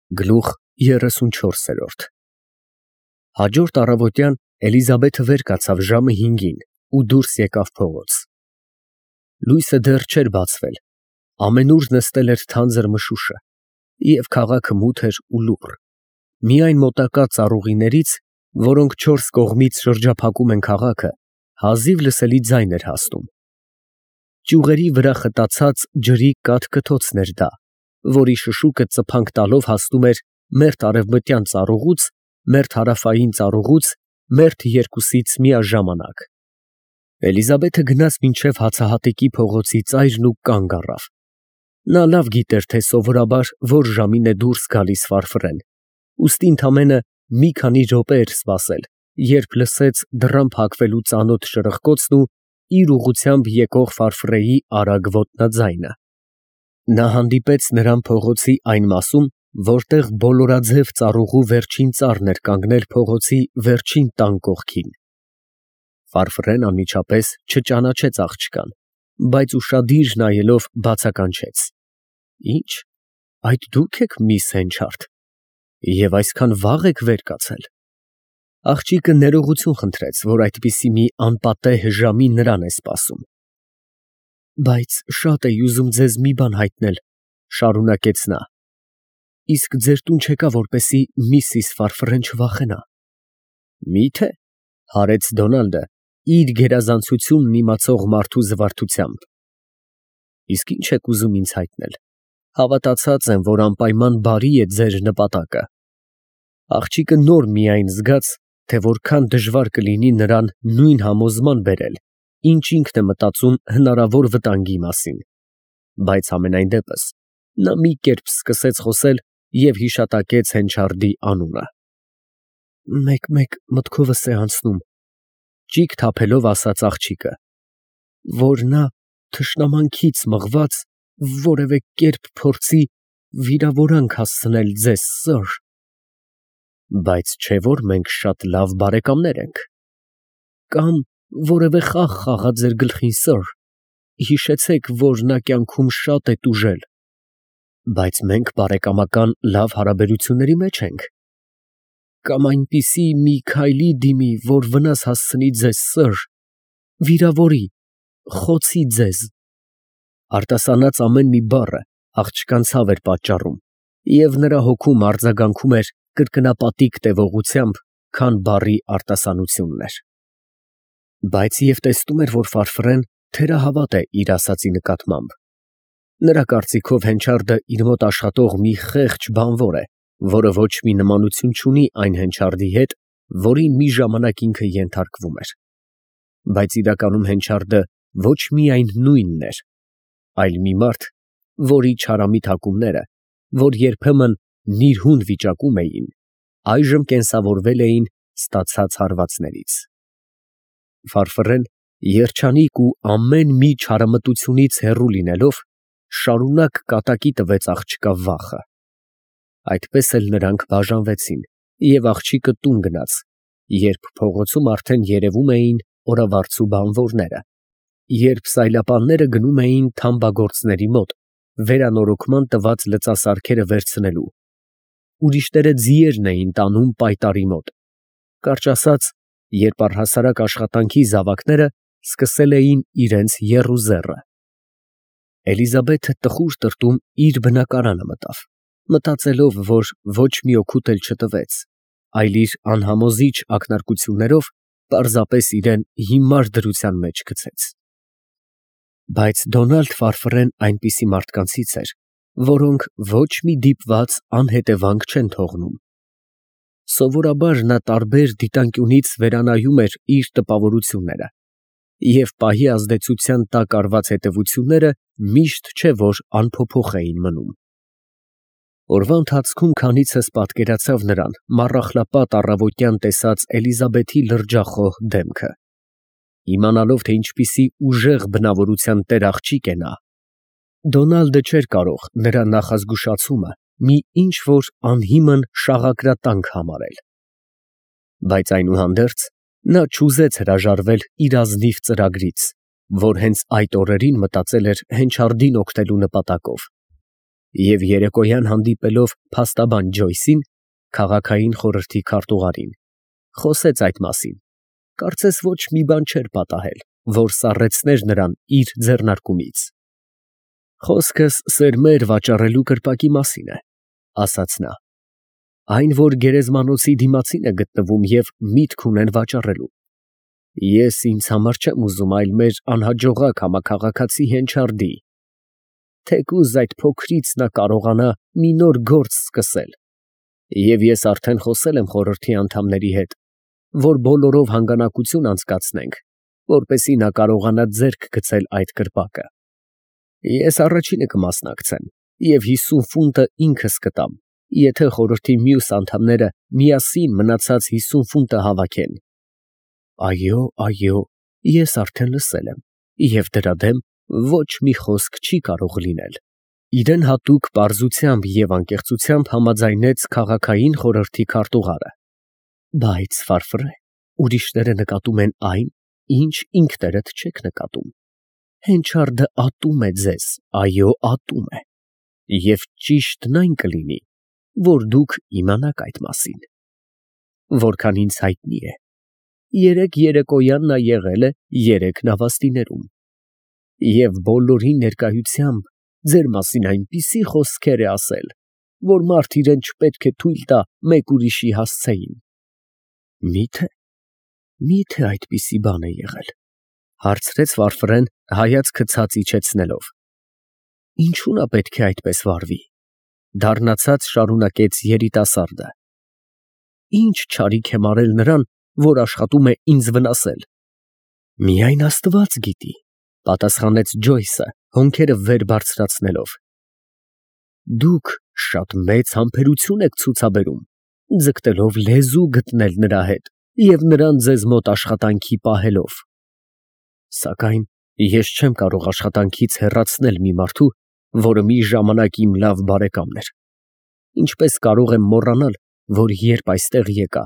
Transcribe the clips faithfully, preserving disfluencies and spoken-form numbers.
Գլուխ երեսունչորս։ Հաջորդ առավոտյան Էլիզաբեթը վեր կացավ ժամը հինգին ու դուրս եկավ փողոց։ Լույսը դեռ չէր բացվել, ամենուր նստել էր թանձր մշուշը, և քաղաքը մութ էր ու լուռ, միայն մոտակա ծառուղիներից, որոնք չորս կողմից շրջափակում են քաղաքը, հազիվ լսելի ձայն էր հասնում։ Ճյուղերի վրա խտացած ջրի կաթ֊կթոցն էր դա, որի շշուկը ծփանք տալով հասնում էր մերթ արևմտյան ծառուղուց, մերթ հարավային ծառուղուց, մերթ երկուսից միաժամանակ։ Էլիզաբեթը գնաց մինչև հացահատիկի փողոցի ծայրն ու կանգ առավ։ Նա լավ գիտեր, թե սովորաբար որ ժամին է դուրս գալիս Ֆարֆրեն, ուստի ընդամենը մի քանի րոպե էր սպասել, երբ լսեց դռան փակվելու ծանոթ շրխկոցն ու իր ուղղությամբ եկող Ֆարֆրեի արագ ոտնաձայնը։ Նա հանդիպեց նրան փողոցի այն մասում, որտեղ բոլորաձև ծառուղու վերջին ծառն էր կանգնել փողոցի վերջին տան կողքին։ Ֆարֆրեն անմիջապես չճանաչեց աղջկան, բայց ուշադիր նայելով բացականչեց. Ի՞նչ, այդ դու՞ք եք միս Հենչարդ, և այսքան վաղ եք վեր կացել։ Աղջիկը ներողություն խնդրեց, որ այդպիսի մի անպատեհ ժամին նրան է սպասում։ Բայց շատ էի ուզում ձեզ մի բան հայտնել, շարունակեց նա, իսկ ձեր տուն չեկա, որպեսզի միսիս Ֆարֆրեն չվախենա։ Մի՞թե, հարեց Դոնալդը իր գերազանցությունն իմացող մարդու զվարթությամբ։ Իսկ ի՞նչ եք ուզում ինձ հայտնել, հավատացած եմ, որ անպայման բարի է ձեր նպատակը։ Աղջիկը նոր միայն զգաց, թե որքան դժվար կլինի նրան նույն համոզման բերել, ինչ ինքն է մտածում հնարավոր վտանգի մասին, բայց համենայն դեպս նա մի կերպ սկսեց խոսել և հիշատակեց Հենչարդի անունը։ Մեկ֊մեկ մտքովս է անցնում, ճիգ թափելով ասաց աղջիկը, որ նա թշնամանքից մղված որևէ կերպ փորձի վիրավորանք հասցնել ձեզ, սըր։ Բայց չէ՞ որ մենք շատ լավ բարեկամներ ենք։ Կամ որևէ խաղ խաղա ձեր գլխին, սըր, հիշեցեք, որ նա կյանքում շատ է տուժել։ Բայց մենք բարեկամական լավ հարաբերությունների մեջ ենք։ Կամ այնպիսի մի քայլի դիմի, որ վնաս հասցնի ձեզ, սըր, վիրավորի, խոցի ձեզ։ Արտասանած ամեն մի բառը աղջկան ցավ էր պատճառում, և նրա հոգում արձագանքում էր կրկնապատիկ տևողությամբ, քան բառի արտասանությունն էր։ Բայց և տեսնում էր, որ Ֆարֆրեն թերահավատ է իր ասածի նկատմամբ։ Նրա կարծիքով Հենչարդը իր մոտ աշխատող մի խեղճ բանվոր է, որը ոչ մի նմանություն չունի այն Հենչարդի հետ, որին մի ժամանակ ինքը ենթարկվում էր։ Բայց իրականում Հենչարդը ոչ միայն նույնն էր, այլ մի մարդ, որի չարամիտ հակումները, որ երբեմն նիրհուն վիճակում էին, այժմ կենսավորվել էին ստացած հարվածներից։ Ֆարֆրեն, երջանիկ ու ամեն մի չարամտությունից հեռու լինելով, շարունակ կատակի տվեց աղջկա վախը։ Այդպես էլ նրանք բաժանվեցին, և աղջիկը տուն գնաց, երբ փողոցում արդեն երևում էին օրավարձու բանվորները, երբ սայլապանները գնում էին թամբագործների մոտ, վերանորոգման տված լծասարքերը վերցնելու, ուրիշները ձիերն էին տանում պայտառի մոտ, կարճ ասած, երբ առհասարակ աշխատանքի զավակները սկսել էին իրենց եռուզեռը։ Էլիզաբեթը տխուր տրտում իր բնակարանը մտավ, մտածելով, որ ոչ մի օգուտ էլ չտվեց, այլ իր անհամոզիչ ակնարկություններով պարզապես իրան հիմար դրության մեջ գցեց։ Բայց Դոնալդ Ֆարֆրեն այնպիսի մարդկանցից էր, որոնք ոչ մի դիպված անհետևանք չեն թողնում։ Սովորաբար նա տարբեր դիտանկյունից վերանայում էր իր տպավորությունները, և պահի ազդեցության տակ արված հետևությունները միշտ չէ որ անփոփոխ էին մնում։ Օրվա ընթացքում քանիցս պատկերացավ նրան մառախլապատ առավոտյան տեսած Էլիզաբեթի լրջախոհ դեմքը։ Իմանալով, թե ինչպիսի ուժեղ բնավորության տեր աղջիկ է նա, Դոնալդը չէր կարող նրա նախազգուշացումը մի ինչ֊որ անհիմն շաղակրատանք համարել։ Բայց այնուհանդերձ նա չուզեց հրաժարվել իր ազնիվ ծրագրից, որ հենց այդ օրերին մտածել էր Հենչարդին օգնելու նպատակով։ Եվ երեկոյան հանդիպելով փաստաբան Ջոյսին, քաղաքային խորհրդի քարտուղարին, խոսեց այդ մասին, կարծես ոչ մի բան չէր պատահել, որ սառեցներ նրան իր ձեռնարկումից։ Խոսքս սերմեր վաճառելու կրպակի մասին է, ասաց նա, այն, որ գերեզմանոցի դիմացին է գտնվում և միտք ունեն վաճառելու։ Ես ինձ համար չեմ ուզում այլ մեր անհաջողակ համաքաղաքացի Հենչարդի, թեկուզ այդ փոքրից նա կարողանա մի նոր գործ սկսել, և ես արդեն խոսել եմ խորհրդի անդամների հետ, որ բոլորով հանգանակություն անցկացնենք, որպեսզի նա կարողանա ձեռք գցել այդ կրպակը։ Ես առաջինը կմասնակցեմ և հիսուն ֆունտը ինքս կտամ, եթե խորհրդի մյուս անդամները միասին մնացած հիսուն ֆունտը հավաքեն։ Այո, այո, ես արդեն լսել եմ, և դրա դեմ ոչ մի խոսք չի կարող լինել։ Իրեն հատուկ պարզությամբ և անկեղծությամբ համաձայնեց քաղաքային խորհրդի քարտուղարը։ Բայց, Ֆարֆրե, ուրիշները նկատում են այն, ինչ ինքներդ չեք նկատում։ Հենչարդը ատում է ձեզ, այո, ատում է, և ճիշտն այն կլինի, որ դուք իմանաք այդ մասին։ Որքան ինձ հայտնի է, երեկ երեկոյան նա եղել է երեք նավաստիներում, և բոլորի ներկայությամբ ձեր մասին այնպիսի խոսքեր է ասել, որ մարդ իրան չպետք է թույլ տա մեկ ուրիշի հասցեին։ Մի՞թե, մի՞թե այդպիսի բան է եղել, հարցրեց Ֆարֆրեն հայացքը ցած իջեցնելով։ Ինչու նա պետք է այդպես վարվի, դառնացած շարունակեց երիտասարդը։ Ինչ չարիք եմ արել նրան, որ աշխատում է ինձ վնասել։ Միայն Աստված գիտի, պատասխանեց Ջոյսը, հոնքերը վեր բարձրացնելով։ Դուք շատ մեծ համբերություն եք ցուցաբերում, ձգտելով լեզու գտնել նրա հետ և նրան ձեզ մոտ աշխատանքի պահելով։ Սակայն ես չեմ կարող աշխատանքից հեռացնել մի մարդու, որը մի ժամանակ իմ լավ բարեկամն էր։ Ինչպես կարող եմ մոռանալ, որ երբ այստեղ եկա,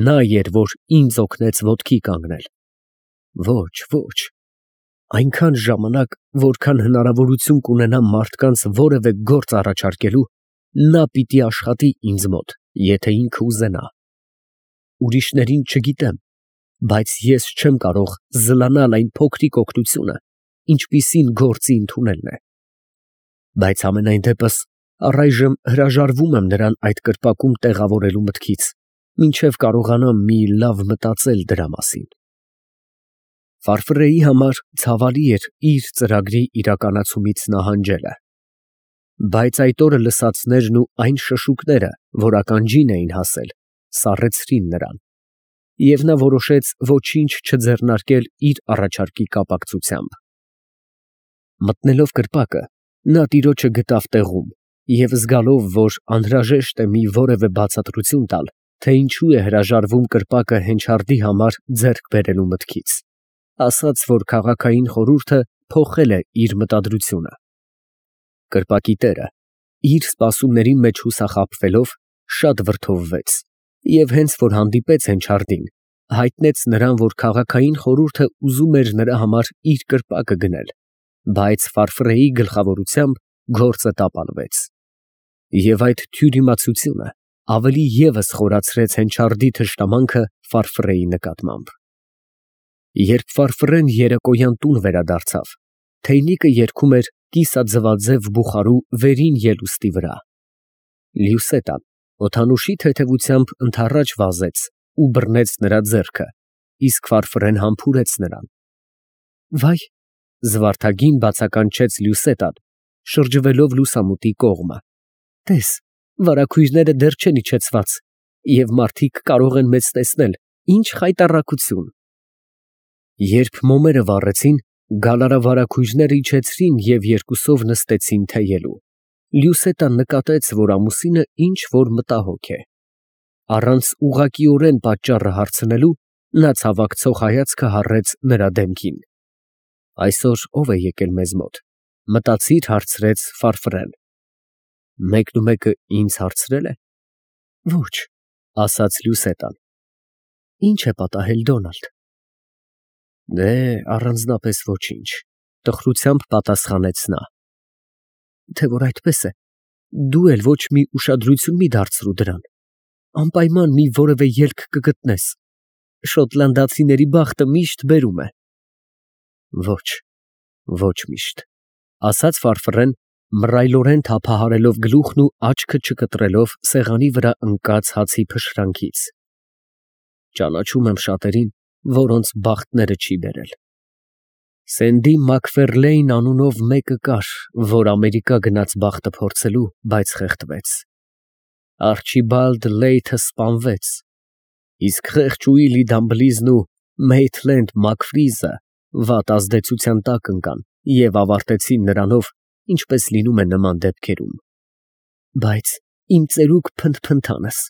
նա էր, որ ինձ օգնեց ոտքի կանգնել։ Ոչ, ոչ, այնքան ժամանակ, որքան հնարավորություն կունենամ մարդկանց որևէ գործ առաջարկելու, նա պիտի աշխատի ինձ մոտ, եթե ինքը ուզենա։ Ուրիշներին չգիտեմ, բայց ես չեմ կարող զլանալ այն փոքրիկ օգնությունը, ինչպիսին գործի ընդունելն է։ Բայց համենայն դեպս առայժմ հրաժարվում եմ նրան այդ կրպակում տեղավորելու մտքից, մինչև կարողանամ մի լավ մտածել դրա մասին։ Ֆարֆրեի համար ցավալի էր իր ծրագրի իրականացումից նահանջելը։ Բայց այդ օրը լսածներն ու այն շշուկները, որ ականջին էին հասել, սառեցրին նրան, և նա որոշեց ոչինչ չձեռնարկել իր առաջարկի կապակցությամբ։ Մտնելով կրպակը, նա տիրոջը գտավ տեղում և զգալով, որ անհրաժեշտ է մի որևէ բացատրություն տալ, թե ինչու է հրաժարվում կրպակը Հենչարդի համար ձեռք բերելու մտքից, ասաց, որ քաղաքային խորհուրդը փոխել է իր մտադրությունը։ Կրպակի տերը, իր սպասումների մեջ հուսախաբվելով, շատ վրդովվեց և հենց որ հանդիպեց Հենչարդին, հայտնեց նրան, որ քաղաքային խորհուրդը ուզում էր նրա համար իր կրպակը գնել, բայց Ֆարֆրեի գլխավորությամբ գործը տապալվեց։ Եվ այդ թյուրիմացությունը ավելի ևս խորացրեց Հենչարդի թշնամանքը Ֆարֆրեի նկատմամբ։ Երբ Ֆարֆրեն երեկոյան տուն վերադարձավ, թեյնիկը երգում էր կիսաձվաձև բուխարու վերին ելուստի վրա։ Լյուսետան օդանուշի թեթևությամբ ընդառաջ վազեց ու բռնեց նրա ձեռքը, իսկ Ֆարֆրեն համբուրեց նրան։ Վայ, զվարթագին բացականչեց Լյուսետան, շրջվելով լուսամուտի կողմը, տես, վարագույրները դեռ չեն իջեցված, և մարդիկ կարող են մեզ տեսնել, ինչ խայտառակություն։ Երբ մոմերը վառեցին, գալարավարագույրները իջեցրին և երկուսով նստեցին թեյելու։ Լյուսետան նկատեց, որ ամուսինը ինչ֊որ մտահոգ է։ Առանց ուղղակիորեն պատճառը հարցնելու, նա ցավակցող հայացքը հառեց նրա դեմքին։ Այսօր ո՞վ է եկել մեզ մոտ, մտածիր հարցրեց Ֆարֆրեն։ Մեկնումեկը ինձ հարցրել է։ Ոչ, ասաց Լյուսետան։ Ինչ է պատահել, Դոնալդ։ Դե, առանձնապես ոչինչ, տխրությամբ պատասխանեց նա։ Թե որ այդպես է, Դու էլ ոչ մի ուշադրություն մի դարձրու դրան, անպայման մի որևէ ելք կգտնես, շոտլանդացիների բախտը միշտ բերում է։ Ոչ, ոչ միշտ, ասաց Ֆարֆռեն, մռայլորեն թափահարելով գլուխն ու աչքը չկտրելով սեղանի վրա ընկած հացի փշրանքից։ Ճանաչում եմ շատերին, որոնց բախտները չի բերել։ Սենդի Մակֆերլեյն անունով մեկը կար, որ Ամերիկա գնաց բախտը փորձելու, բայց խեղդվեց։ Արչիբալդ Լեյթը սպանվեց, իսկ խեղճ Ուիլի Դամբլիզն ու Մեյթլենդ Մակֆրիզը վատ ազդեցության տակ ընկան և ավարտեցին նրանով, ինչպես լինում է նման դեպքերում։ Բայց իմ ծերուկ փնթփնթանս,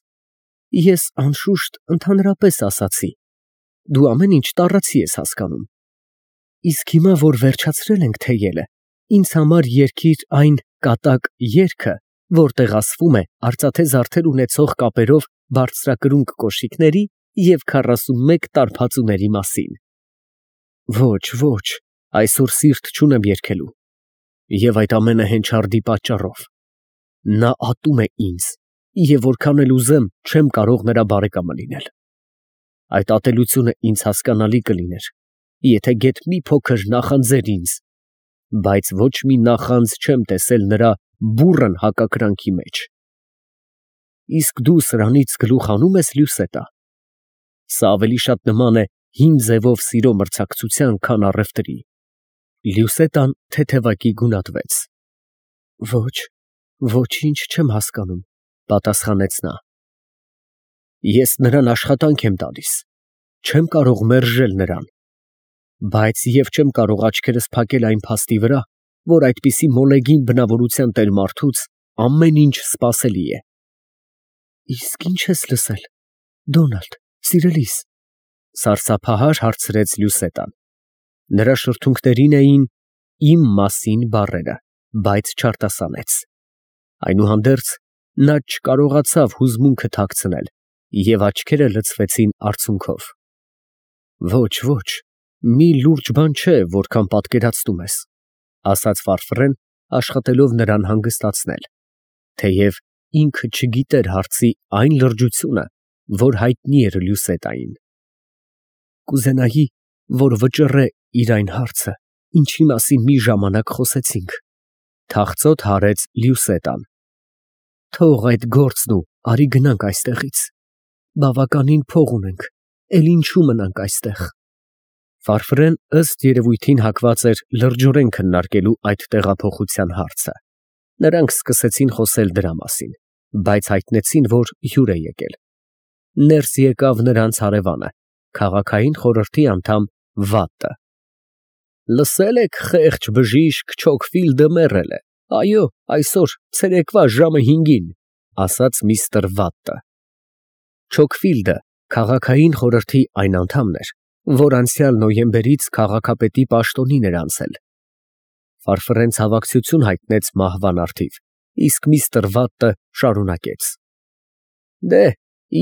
ես անշուշտ ընդհանրապես ասացի, դու ամեն ինչ տառացի ես հասկանում։ Իսկ հիմա, որ վերջացրել ենք թեյելը, ինձ համար երգիր այն կատակ երգը, որտեղ ասվում է արծաթե զարդեր ունեցող կապերով բարձրակրունկ կոշիկների և քառասունմեկ տարբածուների մասին։ Ոչ, ոչ, այսօր սիրտ չունեմ երգելու, և այդ ամենը հենչարդի պատճառով։ Նա ատում է ինձ, և որքան էլ ուզեմ, չեմ կարող նրա բարեկամը լինել։ Այդ ատելությունը ինձ հասկանալի կլիներ, եթե գեթ մի փոքր նախանձեր ինձ, բայց ոչ մի նախանձ չեմ տեսել նրա բուռն հակակրանքի մեջ։ Իսկ դու սրանից գլուխ հանում ես, Լյուսետա։ Սա ավելի շատ նման է հին ձևով սիրո մրցակցության, քան առևտրի։ Լյուսետան թեթևակի գունատվեց։ Ոչ, ոչինչ չեմ հասկանում, պատասխանեց նա։ Ես նրան աշխատանք եմ տալիս, չեմ կարող մերժել նրան, բայց և չեմ կարող աչքերս փակել այն փաստի վրա, որ այդպիսի մոլեգին բնավորության տեր մարդուց ամեն ինչ սպասելի է։ Իսկ ի՞նչ ես լսել, Դոնալդ, սիրելիս, սարսափահար հարցրեց Լյուսետան։ Նրա շրթունքներին էին իմ մասին բառերը, բայց չարտասանեց։ Այնուհանդերձ նա չկարողացավ հուզմունքը թաքցնել և աչքերը լցվեցին արցունքով։ Ոչ, ոչ, մի լուրջ բան չէ, որքան պատկերացնում ես, ասաց Ֆարֆռեն, աշխատելով նրան հանգստացնել, թեև ինքը չգիտեր հարցի այն լրջությունը, որ հայտնի էր Լյուսետային։ Կուզենայի, որ վճռե իր այն հարցը, ինչի մասին մի ժամանակ խոսեցինք, թախծոտ հարեց Լյուսետան։ Թող այդ գործն ու արի գնանք այստեղից, բավականին փող ունենք, էլ ինչու մնանք այստեղ։ Ֆարֆռեն ըստ երևույթին հակված էր լրջորեն քննարկելու այդ տեղափոխության հարցը։ Նրանք սկսեցին խոսել դրա մասին, բայց հայտնեցին, որ հյուր է եկել։ Ներս եկավ նրանց հարևանը, քաղաքային խորհրդի անդամ Վատը։ Լսել եք, խեղճ բժիշկ Չոքֆիլդը մեռել է, այո, այսօր ցերեկվա ժամը հինգին, ասաց միստր Վատը։ Չոքֆիլդը քաղաքային խորհրդի այն անդամն էր, որ անցյալ նոյեմբերից քաղաքապետի պաշտոնին էր անցել։ Ֆարֆռեն ցավակցություն հայտնեց մահվան առթիվ, իսկ միստր Վատը շարունակեց. Դե,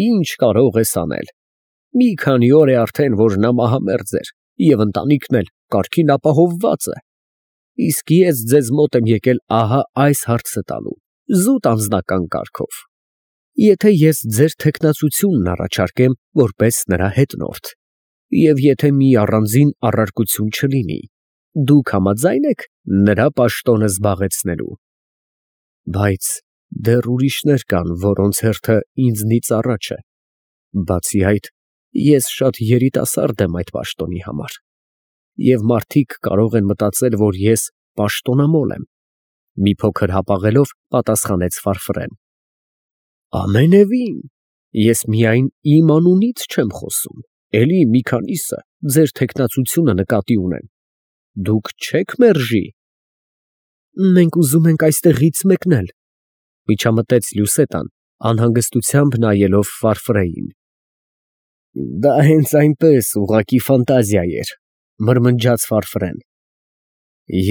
ինչ կարող ես անել։ Մի քանի օր է արդեն, որ նա մահամերձ էր, և ընտանիքն էլ կարգին ապահովված է։ Իսկ ես ձեզ մոտ եմ եկել ահա այս հարցը տալու, զուտ անձնական կարգով։ Եթե ես ձեր թեկնածությունն առաջարկեմ որպես նրա հետնորդ, և եթե մի առանձին առարկություն չլինի, դուք համաձա՞յն եք նրա պաշտոնը զբաղեցնելու։ Բայց դեռ ուրիշներ կան, որոնց հերթը ինձնից առաջ է։ Բացի այդ, ես շատ երիտասարդ եմ այդ պաշտոնի համար, և մարդիկ կարող են մտածել, որ ես պաշտոնամոլ եմ։ Մի փոքր հապաղելով պատասխանեց Ֆարֆռեն։ Ամենևին, ես միայն իմ անունից չեմ խոսում, էլի մի քանիսը ձեր թեկնածությունը նկատի ունեն։ Դուք չեք մերժի։ Մենք ուզում ենք այստեղից մեկնել, միջամտեց Լյուսետան, անհանգստությամբ նայելով Ֆարֆրեին։ Դա հենց այնպես ուղղակի ֆանտազիա էր, մրմնջաց Ֆարֆրեն։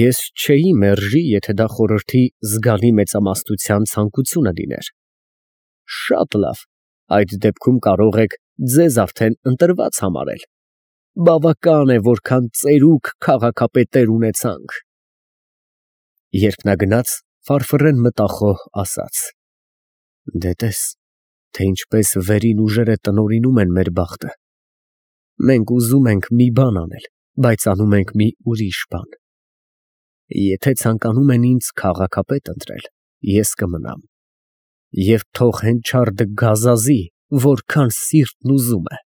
Ես չէի մերժի, եթե դա խորհրդի զգալի մեծամասնության ցանկությունը լիներ։ Շատ լավ, այդ դեպքում կարող եք ձեզ արդեն ընտրված համարել։ Բավական է, որքան ծերուկ քաղաքապետեր ունեցանք։ Երբ նա գնաց, Ֆարֆռեն մտախոհ ասաց. «Դե տես, թե ինչպես վերին ուժերը տնօրինում են մեր բախտը. մենք ուզում ենք մի բան անել, բայց անում ենք մի ուրիշ բան։ Եթե ցանկանում են ինձ քաղաքապետ ընտրել, ես կմնամ, և թող հենչյարդը գազազի, որքան սիրտն ուզում է։